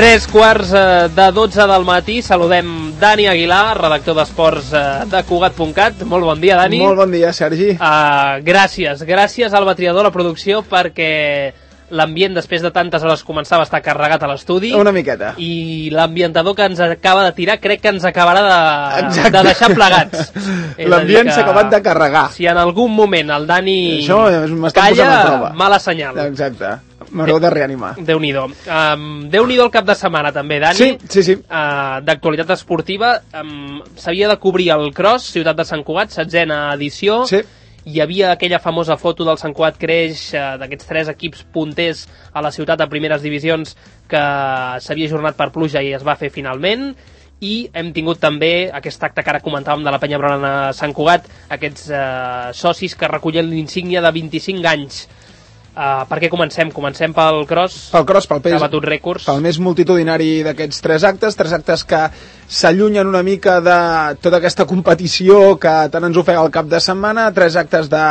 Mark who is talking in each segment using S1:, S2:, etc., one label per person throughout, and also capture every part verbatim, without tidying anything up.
S1: Tres quarts de dotze del matí, saludem Dani Aguilar, redactor d'esports de Cugat punt cat. Molt bon dia, Dani.
S2: Molt bon dia, Sergi.
S1: Uh, gràcies, gràcies al Batriador, a la producció, perquè l'ambient després de tantes hores començava a estar carregat a l'estudi.
S2: Una miqueta.
S1: I l'ambientador que ens acaba de tirar crec que ens acabarà de, de deixar plegats.
S2: L'ambient s'ha acabat de carregar.
S1: Si en algun moment el Dani
S2: Això
S1: calla, mala senyal.
S2: Exacte. M'haureu de reanimar.
S1: Déu-n'hi-do. Um, Déu-n'hi-do el cap de setmana, també, Dani.
S2: Sí, sí, sí.
S1: Uh, d'actualitat esportiva. Um, S'havia de cobrir el Cross, Ciutat de Sant Cugat, setzena edició.
S2: Sí.
S1: Hi havia aquella famosa foto del Sant Cugat Creix, uh, d'aquests tres equips punters a la ciutat a primeres divisions, que s'havia ajornat per pluja i es va fer finalment. I hem tingut també aquest acte que ara comentàvem de la Penya Blaugrana Sant Cugat, aquests uh, socis que recullen l'insígnia de vint-i-cinc anys. Uh, per què comencem? Comencem pel Cross,
S2: pel Cross, pel
S1: que ha batut rècords.
S2: Pel més multitudinari d'aquests tres actes, tres actes que s'allunyen una mica de tota aquesta competició que tant ens ofega el cap de setmana, tres actes de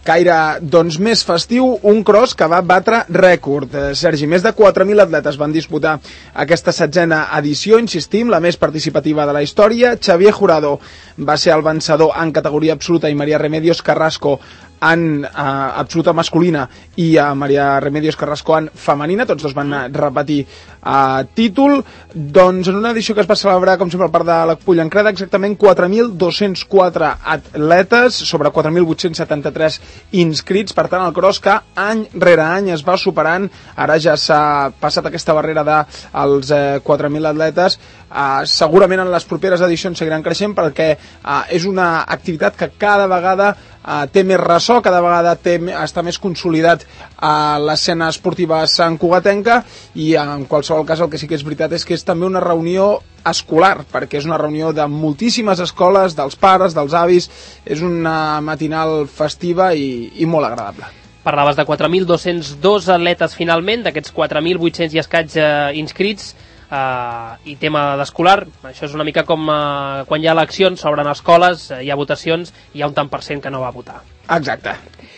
S2: caire doncs, més festiu, un Cross que va batre rècord. Eh, Sergi, més de quatre mil atletes van disputar aquesta setzena edició, insistim, la més participativa de la història. Xavier Jurado va ser el vencedor en categoria absoluta i María Remedios Carrasco en uh, absoluta masculina i a uh, María Remedios Carrasco en femenina, tots dos van repetir uh, títol, doncs en una edició que es va celebrar com sempre al Parc de la Pollancreda, exactament quatre mil dos-cents quatre atletes sobre quatre mil vuit-cents setanta-tres inscrits. Per tant, el Cross que any rere any es va superant, ara ja s'ha passat aquesta barrera dels uh, quatre mil atletes. Uh, segurament en les properes edicions seguiran creixent perquè uh, és una activitat que cada vegada Uh, té més ressò, cada vegada té, està més consolidat a uh, l'escena esportiva santcugatenca i uh, en qualsevol cas el que sí que és veritat és que és també una reunió escolar, perquè és una reunió de moltíssimes escoles, dels pares, dels avis, és una matinal festiva i, i molt agradable.
S1: Parlaves de quatre mil dos-cents dos atletes finalment, d'aquests quatre mil vuit-cents i escaig uh, inscrits. Uh, i tema d'escolar, això és una mica com uh, quan hi ha eleccions, s'obren escoles, uh, hi ha votacions, hi ha un tant per cent que no va votar.
S2: Exacte,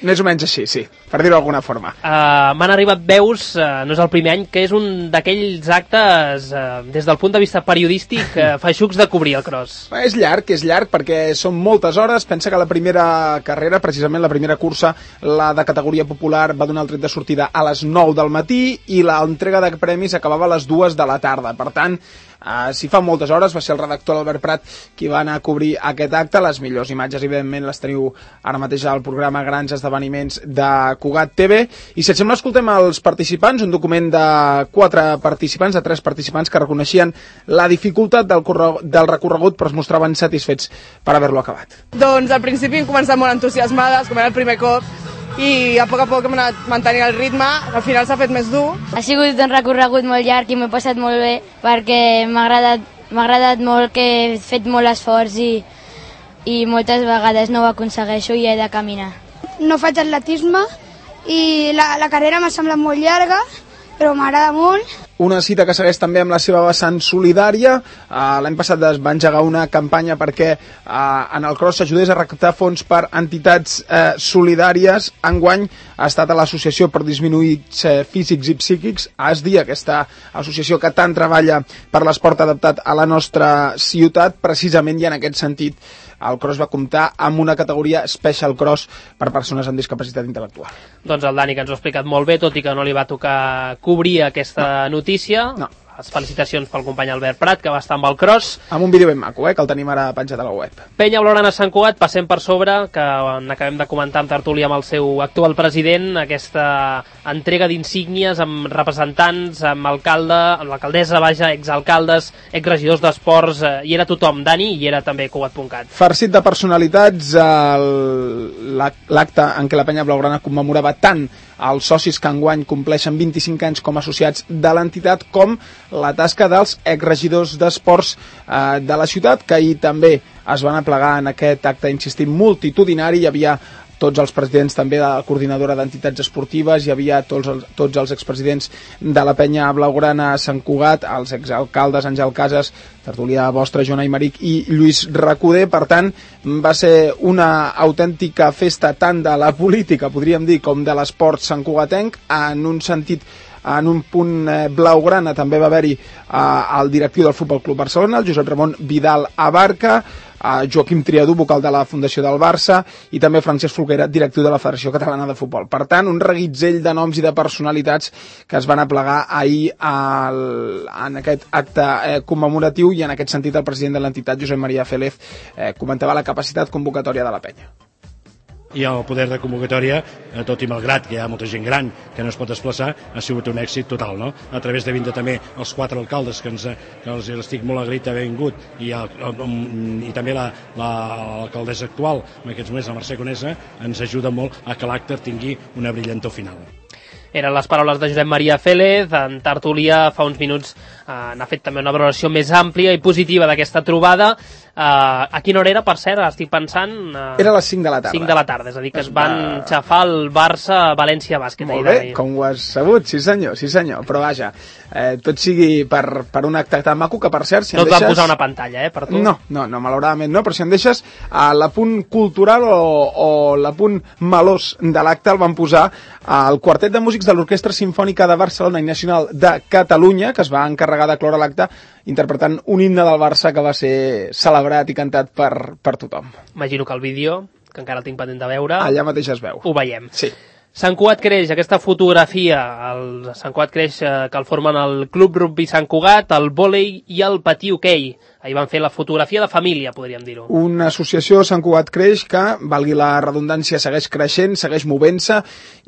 S2: més o menys així, sí, per dir-ho d'alguna forma.
S1: Uh, M'han arribat veus, uh, no és el primer any, que és un d'aquells actes, uh, des del punt de vista periodístic, uh, feixucs de cobrir el Cross.
S2: És llarg, és llarg, perquè són moltes hores. Pensa que la primera carrera, precisament la primera cursa, la de categoria popular, va donar el tret de sortida a les nou del matí i l'entrega de premis acabava a les dues de la tarda. Per tant, Uh, si fa moltes hores, va ser el redactor Albert Prat qui va anar a cobrir aquest acte. Les millors imatges, evidentment, les teniu ara mateix al programa Grans Esdeveniments de Cugat T V. I si et sembla, escoltem els participants, un document de quatre participants, de tres participants que reconeixien la dificultat del, del recorregut però es mostraven satisfets per haver-lo acabat.
S3: Doncs al principi hem començat molt entusiasmades, com era el primer cop, i a poc a poc hem anat mantenint el ritme, al final s'ha fet més dur.
S4: Ha sigut un recorregut molt llarg i m'he passat molt bé perquè m'ha agradat, m'ha agradat molt, que he fet molt esforç i, i moltes vegades no ho aconsegueixo i he de caminar.
S5: No faig atletisme i la, la carrera m'ha semblat molt llarga, però m'agrada molt.
S2: Una cita que segueix també amb la seva vessant solidària. Uh, L'any passat es va engegar una campanya perquè uh, en el Cross s'ajudés a recaptar fons per entitats uh, solidàries. Enguany ha estat a l'Associació per Disminuïts uh, Físics i Psíquics, A S D I, aquesta associació que tant treballa per l'esport adaptat a la nostra ciutat, precisament, i en aquest sentit el Cross va comptar amb una categoria Special Cross per persones amb discapacitat intel·lectual.
S1: Doncs el Dani, que ens ho ha explicat molt bé, tot i que no li va tocar cobrir aquesta no. notícia.
S2: No.
S1: Les felicitacions pel company Albert Prat, que va estar amb el Cross.
S2: Amb un vídeo ben maco, eh, que el tenim ara penjat a la web.
S1: Penya Blaugrana Sant Cugat, passem per sobre, que n'acabem de comentar en tertúlia amb el seu actual president, aquesta entrega d'insígnies amb representants, amb alcalde, amb l'alcaldessa, vaja, exalcaldes, exregidors d'esports, eh, hi era tothom, Dani, i era també Cugat punt cat.
S2: Farcit de personalitats, l'acte en què la Penya Blaugrana commemorava tant els socis que enguany compleixen vint-i-cinc anys com a associats de l'entitat, com la tasca dels exregidors d'esports eh, de la ciutat, que ahir també es van aplegar en aquest acte, insistim, multitudinari. Hi havia tots els presidents també de la coordinadora d'entitats esportives, hi havia tots els, tots els expresidents de la Penya Blaugrana a Sant Cugat, els exalcaldes Àngel Casas, tertúlia vostra, Joan Aymeric i Lluís Recoder. Per tant, va ser una autèntica festa tant de la política, podríem dir, com de l'esport santcugatenc, en un sentit en un punt eh, blaugrana també va haver-hi eh, el directiu del Futbol Club Barcelona, el Josep Ramon Vidal Abarca, a Joaquim Triadú, vocal de la Fundació del Barça, i també Francesc Folguera, directiu de la Federació Catalana de Futbol. Per tant, un reguitzell de noms i de personalitats que es van aplegar ahir al, en aquest acte eh, commemoratiu, i en aquest sentit el president de l'entitat, Josep Maria Félez, eh, comentava la capacitat convocatòria de la penya.
S6: I el poder de convocatòria, tot i malgrat que hi ha molta gent gran que no es pot desplaçar, ha sigut un èxit total, no? A través de vindre també els quatre alcaldes que, ens, que els estic molt agraït d'haver vingut, i, el, i també l'alcaldessa la, actual, en aquests moments, la Mercè Conesa, ens ajuda molt a que l'acte tingui una brillantor final.
S1: Eren les paraules de Josep Maria Félez. En tertúlia fa uns minuts eh, n'ha fet també una valoració més àmplia i positiva d'aquesta trobada. Eh, a quina hora era, per cert? Estic pensant... Eh,
S2: era a les cinc de la tarda.
S1: cinc de la tarda, és a dir, que es van uh... xafar el Barça-València Bàsquet.
S2: Molt bé, com ho has sabut, sí senyor, sí senyor, però vaja, eh, tot sigui per, per un acte tan maco que, per cert, si
S1: no
S2: em
S1: et
S2: deixes...
S1: van posar una pantalla, eh, per tu?
S2: No, no, no, malauradament no, però si em deixes, a l'apunt cultural o, o l'apunt melós de l'acte el van posar al quartet de músics de l'Orquestra Simfònica de Barcelona i Nacional de Catalunya, que es va encarregar de cloure l'acte interpretant un himne del Barça que va ser celebrat i cantat per, per tothom.
S1: Imagino que el vídeo, que encara el tinc pendent de veure...
S2: Allà mateix es veu.
S1: Ho veiem.
S2: Sí.
S1: Sant Cugat creix, aquesta fotografia, el Sant Cugat creix eh, que el formen el Club Rugby Sant Cugat, el vòlei i el patí hoquei. Ahir van fer la fotografia de família, podríem dir-ho.
S2: Una associació Sant Cugat creix que, valgui la redundància, segueix creixent, segueix movent-se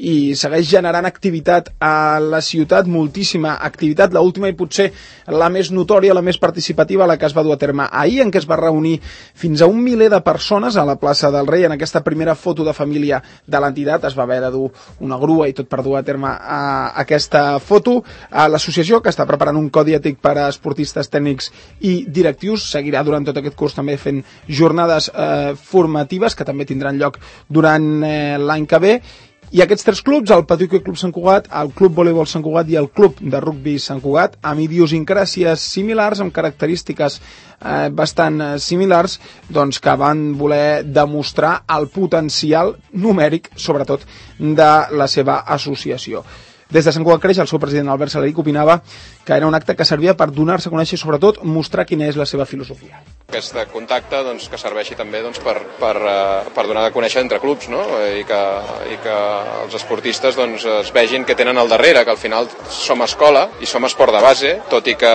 S2: i segueix generant activitat a la ciutat, moltíssima activitat, l'última i potser la més notòria, la més participativa, la que es va dur a terme ahir, en què es va reunir fins a un miler de persones a la plaça del Rei. En aquesta primera foto de família de l'entitat es va haver de dur una grua i tot per dur a terme a aquesta foto. L'associació, que està preparant un codi ètic per a esportistes, tècnics i directius, seguirà durant tot aquest curs també fent jornades eh, formatives que també tindran lloc durant eh, l'any que ve. I aquests tres clubs, el Patí Hoquei Club Sant Cugat, el Club Voleibol Sant Cugat i el Club de Rugbi Sant Cugat, amb idiosincràsies similars, amb característiques eh, bastant eh, similars, doncs que van voler demostrar el potencial numèric, sobretot, de la seva associació. Des de Sant Cugat creix, el seu president Albert Salaric opinava que era un acte que servia per donar-se a conèixer i sobretot mostrar quina és la seva filosofia.
S7: Aquest contacte doncs, que serveixi també doncs, per, per, per donar a conèixer entre clubs, no? I, que, i que els esportistes doncs, es vegin que tenen al darrere, que al final som escola i som esport de base, tot i que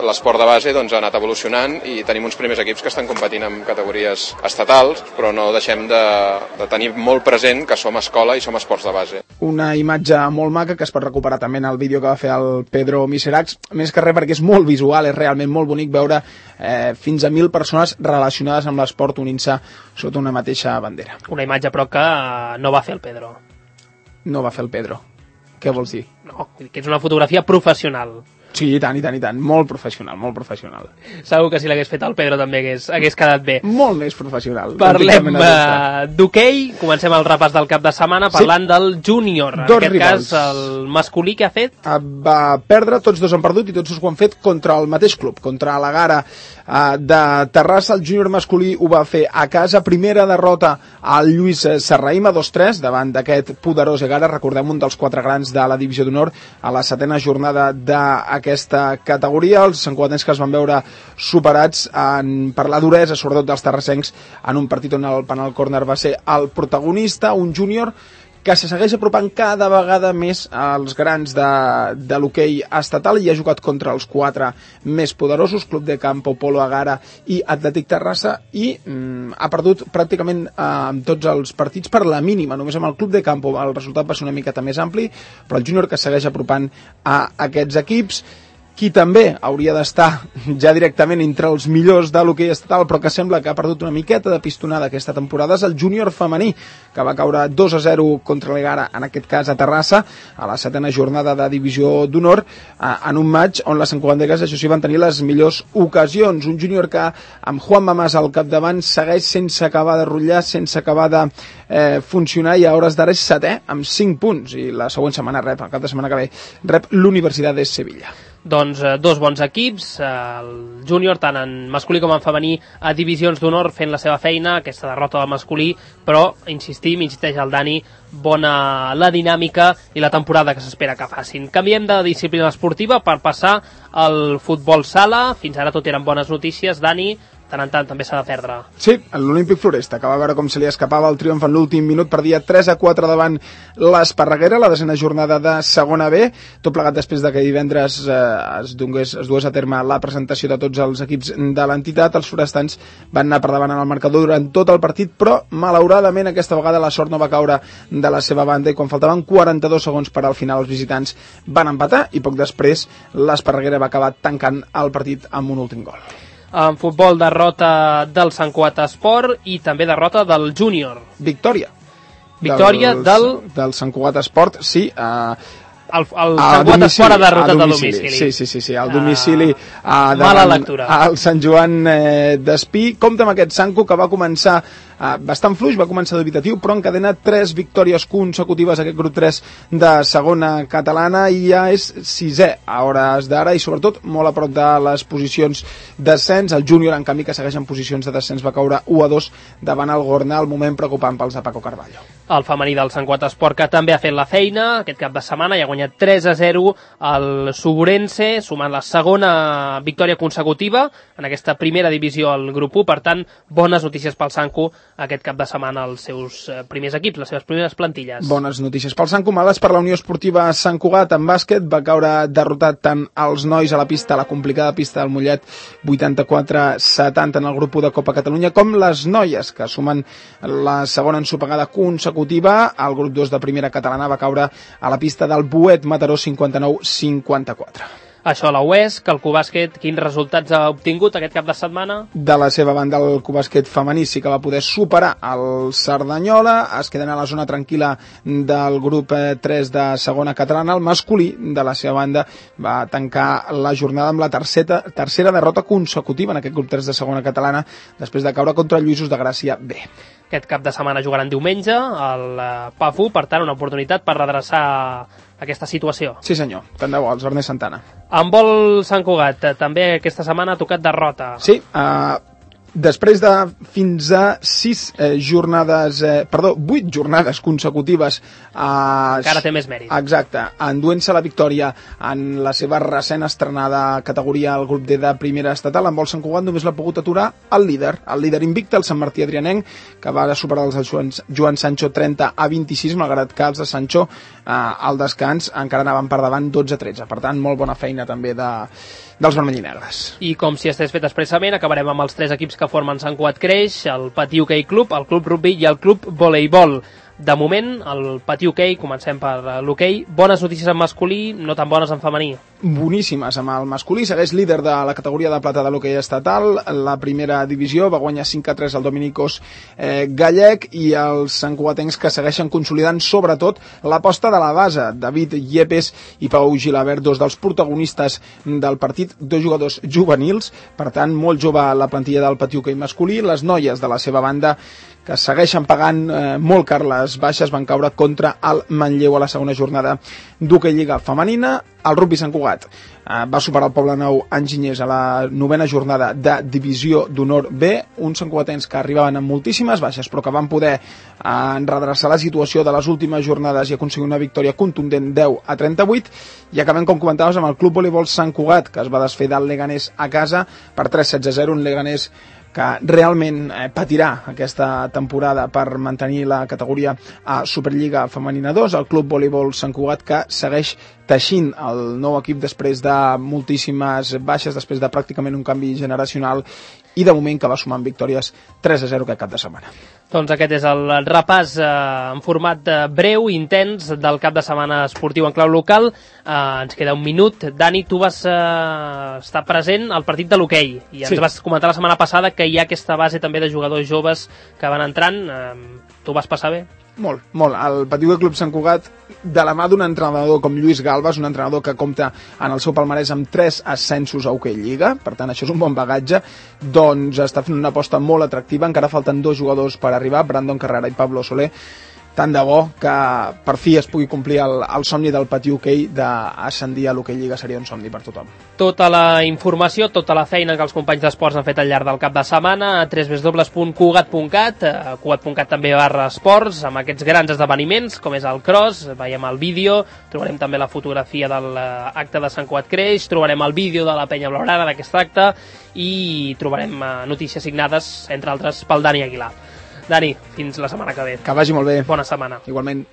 S7: l'esport de base doncs, ha anat evolucionant i tenim uns primers equips que estan competint en categories estatals, però no deixem de, de tenir molt present que som escola i som esports de base.
S2: Una imatge molt maca que es pot recuperar també en el vídeo que va fer el Pedro Miseracs, més que res perquè és molt visual, és realment molt bonic veure eh, fins a mil persones relacionades amb l'esport unint-se sota una mateixa bandera.
S1: Una imatge però que no va fer el Pedro.
S2: No va fer el Pedro. Què vols dir?
S1: No, que és una fotografia professional.
S2: Sí, i tant, i tant, i tant. Molt professional, molt professional.
S1: Segur que si l'hagués fet el Pedro també hagués, hagués quedat bé.
S2: Molt més professional.
S1: Parlem uh, d'hoquei, comencem el repàs del cap de setmana parlant sí. del júnior. En
S2: dos
S1: aquest
S2: rivals.
S1: cas, el masculí que ha fet?
S2: Va perdre, tots dos han perdut i tots dos ho han fet contra el mateix club, contra la Gara uh, de Terrassa. El júnior masculí ho va fer a casa. Primera derrota al Lluís Serraïm a dos tres davant d'aquest poderós Gara. Recordem, un dels quatre grans de la divisió d'honor a la setena jornada de aquesta categoria. Els santcugatencs que es van veure superats en, per la duresa, sobretot dels terrassencs, en un partit on el penal córner va ser el protagonista, un júnior que se segueix apropant cada vegada més als grans de, de l'hoquei estatal i ha jugat contra els quatre més poderosos, Club de Campo, Polo Agara i Atlètic Terrassa, i mm, ha perdut pràcticament eh, amb tots els partits per la mínima. Només amb el Club de Campo el resultat va ser una miqueta més ampli, però el júnior que segueix apropant a aquests equips. Qui també hauria d'estar ja directament entre els millors de l'hoquei estatal, però que sembla que ha perdut una miqueta de pistonada aquesta temporada, és el júnior femení, que va caure dos a zero contra l'Egara, en aquest cas a Terrassa, a la setena jornada de divisió d'honor, en un match on les santcugatenques, això sí, van tenir les millors ocasions. Un júnior que, amb Juan Mamàs al capdavant, segueix sense acabar de rotllar, sense acabar de eh, funcionar, i a hores d'ara és setè, amb cinc punts, i la següent setmana rep, el cap de setmana que ve, rep l'Universitat de Sevilla.
S1: Doncs eh, dos bons equips, eh, el júnior tant en masculí com en femení a divisions d'honor fent la seva feina, aquesta derrota del masculí, però insistim, insisteix el Dani, bona la dinàmica i la temporada que s'espera que facin. Canviem de disciplina esportiva per passar al futbol sala. Fins ara tot eren bones notícies, Dani, tant en tant també s'ha de perdre.
S2: Sí, l'Olímpic Floresta, que va veure com se li escapava el triomf en l'últim minut, perdia tres a quatre davant l'Esparreguera, la desena jornada de segona B, tot plegat després de que divendres eh, es, dongués, es dués a terme la presentació de tots els equips de l'entitat. Els forestans van anar per davant en el marcador durant tot el partit, però malauradament aquesta vegada la sort no va caure de la seva banda i quan faltaven quaranta-dos segons per al final els visitants van empatar i poc després l'Esparreguera va acabar tancant el partit amb un últim gol.
S1: En futbol, derrota del Sant Cugat Esport i també derrota del júnior.
S2: Victòria.
S1: Victòria
S2: del...
S1: del...
S2: del Sant Cugat Esport, sí. Uh,
S1: el, el Sant Cugat Esport ha derrotat a domicili.
S2: Sí, sí, sí, sí, al domicili. Uh,
S1: mala lectura.
S2: Al Sant Joan eh, d'Espí. Compte amb aquest Sanco que va començar Uh, bastant fluix, va començar dubitatiu, però encadena tres victòries consecutives aquest grup tres de segona catalana i ja és sisè a hores d'ara i sobretot molt a prop de les posicions d'ascens. El júnior, en canvi, que segueix en posicions de descens, va caure u a dos davant el Gornal, moment preocupant pels de Paco Carballo.
S1: El femení del Sant Cugat Esport, que també ha fet la feina aquest cap de setmana i ha guanyat tres a zero al Suburense, sumant la segona victòria consecutiva en aquesta primera divisió al grup u. Per tant, bones notícies pel Sanco aquest cap de setmana als seus primers equips, les seves primeres plantilles.
S2: Bones notícies pel Sanco, males per la Unió Esportiva Sant Cugat en bàsquet. Va caure derrotat tant els nois a la pista, a la complicada pista del Mollet, vuitanta-quatre a setanta en el grup u de Copa Catalunya, com les noies, que sumen la segona ensopegada consecutiva. El grup dos de primera catalana va caure a la pista del Buet Mataró, cinquanta-nou a cinquanta-quatre.
S1: Això a la U E S, que el Cubàsquet, quins resultats ha obtingut aquest cap de setmana?
S2: De la seva banda, el Cubàsquet femení sí que va poder superar el Cerdanyola, es queden a la zona tranquil·la del grup tres de segona catalana. El masculí, de la seva banda, va tancar la jornada amb la tercera, tercera derrota consecutiva en aquest grup tres de segona catalana, després de caure contra el Lluïsos de Gràcia B.
S1: Aquest cap de setmana jugaran diumenge al P A F U, per tant, una oportunitat per redreçar aquesta situació.
S2: Sí senyor, tant de bo, els Ernest Santana.
S1: En vol Sant Cugat, també aquesta setmana ha tocat derrota.
S2: Sí, uh, després de fins a sis eh, jornades, eh, perdó, vuit jornades consecutives. Eh,
S1: Encara té més mèrit.
S2: Exacte, enduent-se la victòria en la seva recent estrenada categoria al grup D de primera estatal. En vol Sant Cugat només l'ha pogut aturar el líder, el líder invicte, el Sant Martí Adrianenc, que va superar els Joan, Joan Sancho trenta a vint-i-sis, malgrat que els de Sancho eh, al descans encara anaven per davant dotze a tretze. Per tant, molt bona feina també de, dels vermell i negres.
S1: I com si estigués fet expressament, acabarem amb els tres equips que formen Sant Cugat Creix, el Patí Hoquei Club, el Club Rugby i el Club Voleibol. De moment, el Patí Hoquei, comencem per l'hoquei, bones notícies en masculí, no tan bones en femení.
S2: Boníssimes amb el masculí, segueix líder de la categoria de plata de l'hoquei estatal, la primera divisió, va guanyar cinc a tres al Dominicos eh, Gallec, i els santcugatencs que segueixen consolidant sobretot l'aposta de la base, David Yepes i Pau Gilabert, dos dels protagonistes del partit, dos jugadors juvenils, per tant molt jove la plantilla del Patí Hoquei masculí. Les noies de la seva banda, que segueixen pagant eh, molt car les baixes, van caure contra el Manlleu a la segona jornada d'hoquei lliga femenina. El rugby Sant Cugat eh, va superar el Poblenou Enginyers a la novena jornada de divisió d'honor B, uns santcugatens que arribaven amb moltíssimes baixes però que van poder eh, redreçar la situació de les últimes jornades i aconseguir una victòria contundent deu a trenta-vuit. I acabem, com comentaves, amb el Club Voleibol Sant Cugat, que es va desfer del Leganés a casa per tres a setze a zero, un Leganés que realment eh, patirà aquesta temporada per mantenir la categoria a Superliga Femenina dos. El Club Voleibol Sant Cugat, que segueix teixint el nou equip després de moltíssimes baixes, després de pràcticament un canvi generacional, i de moment que va sumant victòries tres a zero aquest cap de setmana.
S1: Doncs aquest és el repàs eh, en format de breu, intens, del cap de setmana esportiu en clau local. Eh, ens queda un minut. Dani, tu vas eh, estar present al partit de l'hoquei i ens sí. vas comentar la setmana passada que hi ha aquesta base també de jugadors joves que van entrant. Eh, tu vas passar bé?
S2: Molt, molt. El Patí Hoquei Club Sant Cugat, de la mà d'un entrenador com Lluís Galvas, un entrenador que compta en el seu palmarès amb tres ascensos a Hoquei Lliga, per tant això és un bon bagatge, doncs està fent una aposta molt atractiva. Encara falten dos jugadors per arribar, Brandon Carrera i Pablo Soler, tant de bo que per fi es pugui complir el, el somni del Patí Hoquei d'ascendir a l'Hoquei Lliga. Seria un somni per tothom.
S1: Tota la informació, tota la feina que els companys d'esports han fet al llarg del cap de setmana a w w w punt cugat punt cat, a cugat punt cat també barra esports, amb aquests grans esdeveniments com és el cross, veiem el vídeo, trobarem també la fotografia de l'acte de Sant Cugat Creix, trobarem el vídeo de la Penya Blaugrana d'aquest acte i trobarem notícies signades, entre altres, pel Dani Aguilar. Dani, fins la setmana que ve.
S2: Que vagi molt bé.
S1: Bona setmana.
S2: Igualment.